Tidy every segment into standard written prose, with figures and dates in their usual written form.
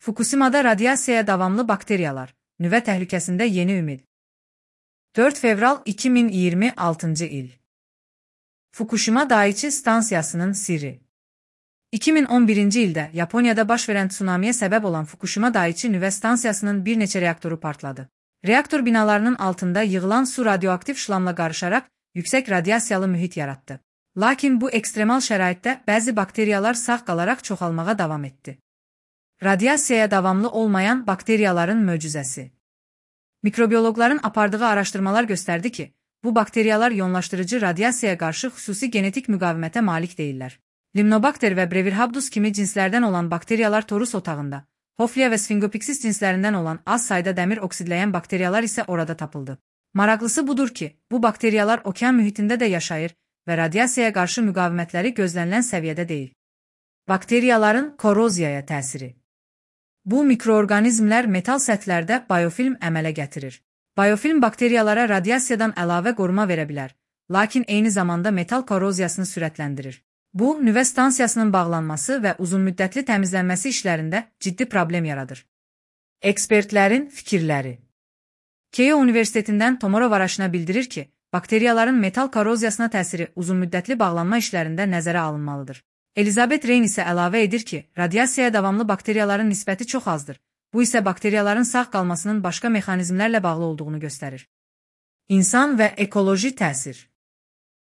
Fukushima'da radiasiyaya davamlı bakteriyalar, nüvə təhlükəsində yeni ümid. 4 fevral 2026 il. Fukushima Daiichi stansiyasının sirri. 2011-ci ildə Yaponiyada baş verən tsunamiyə səbəb olan Fukushima Daiichi nüvə stansiyasının bir neçə reaktoru partladı. Reaktor binalarının altında yığılan su radioaktiv şlamla qarışaraq yüksək radiasiyalı mühit yaratdı. Lakin bu ekstremal şəraitdə bəzi bakteriyalar sağ qalaraq çoxalmağa davam etdi. Radiasiyaya davamlı olmayan bakteriyaların möcüzəsi. Mikrobiyologların apardığı araşdırmalar göstərdi ki, bu bakteriyalar ionlaşdırıcı radiasiyaya qarşı xüsusi genetik müqavimətə malik deyillər. Limnobakter və Brevirhabdus kimi cinslərdən olan bakteriyalar torus otağında, Hoflia və Sphingopixis cinslərindən olan az sayda dəmir oksidləyən bakteriyalar isə orada tapıldı. Maraqlısı budur ki, bu bakteriyalar okean mühitində də yaşayır və radiasiyaya qarşı müqavimətləri gözlənilən səviyyədə deyil. Bakteriyaların koroziyaya təsiri. Bu mikroorqanizmlər metal səthlərdə biofilm əmələ gətirir. Biofilm bakteriyalara radiasiyadan əlavə qoruma verə bilər, lakin eyni zamanda metal koroziyasını sürətləndirir. Bu, nüvə stansiyasının bağlanması və uzunmüddətli təmizlənməsi işlərində ciddi problem yaradır. Ekspertlərin fikirləri. Keio Universitetindən Tomorrow araşına bildirir ki, bakteriyaların metal koroziyasına təsiri uzunmüddətli bağlanma işlərində nəzərə alınmalıdır. Elizabeth Rein isə əlavə edir ki, radiasiyaya davamlı bakteriyaların nisbəti çox azdır. Bu isə bakteriyaların sağ qalmasının başqa mexanizmlərlə bağlı olduğunu göstərir. İnsan və ekoloji təsir.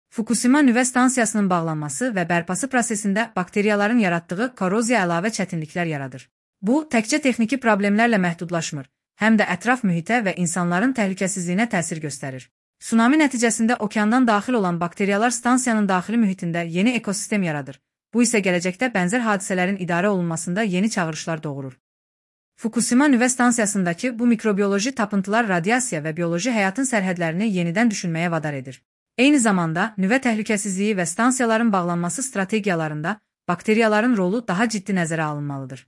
Fukushima nüvə stansiyasının bağlanması və bərpası prosesində bakteriyaların yaratdığı koroziya əlavə çətinliklər yaradır. Bu, təkcə texniki problemlərlə məhdudlaşmır, həm də ətraf mühitə və insanların təhlükəsizliyinə təsir göstərir. Tsunami nəticəsində okeandan daxil olan bakteriyalar stansiyanın daxili mühitində yeni ekosistem yaradır. Bu isə gələcəkdə bənzər hadisələrin idarə olunmasında yeni çağırışlar doğurur. Fukushima nüvə stansiyasındakı bu mikrobiyoloji tapıntılar radiasiya və bioloji həyatın sərhədlərini yenidən düşünməyə vadar edir. Eyni zamanda, nüvə təhlükəsizliyi və stansiyaların bağlanması strategiyalarında bakteriyaların rolu daha ciddi nəzərə alınmalıdır.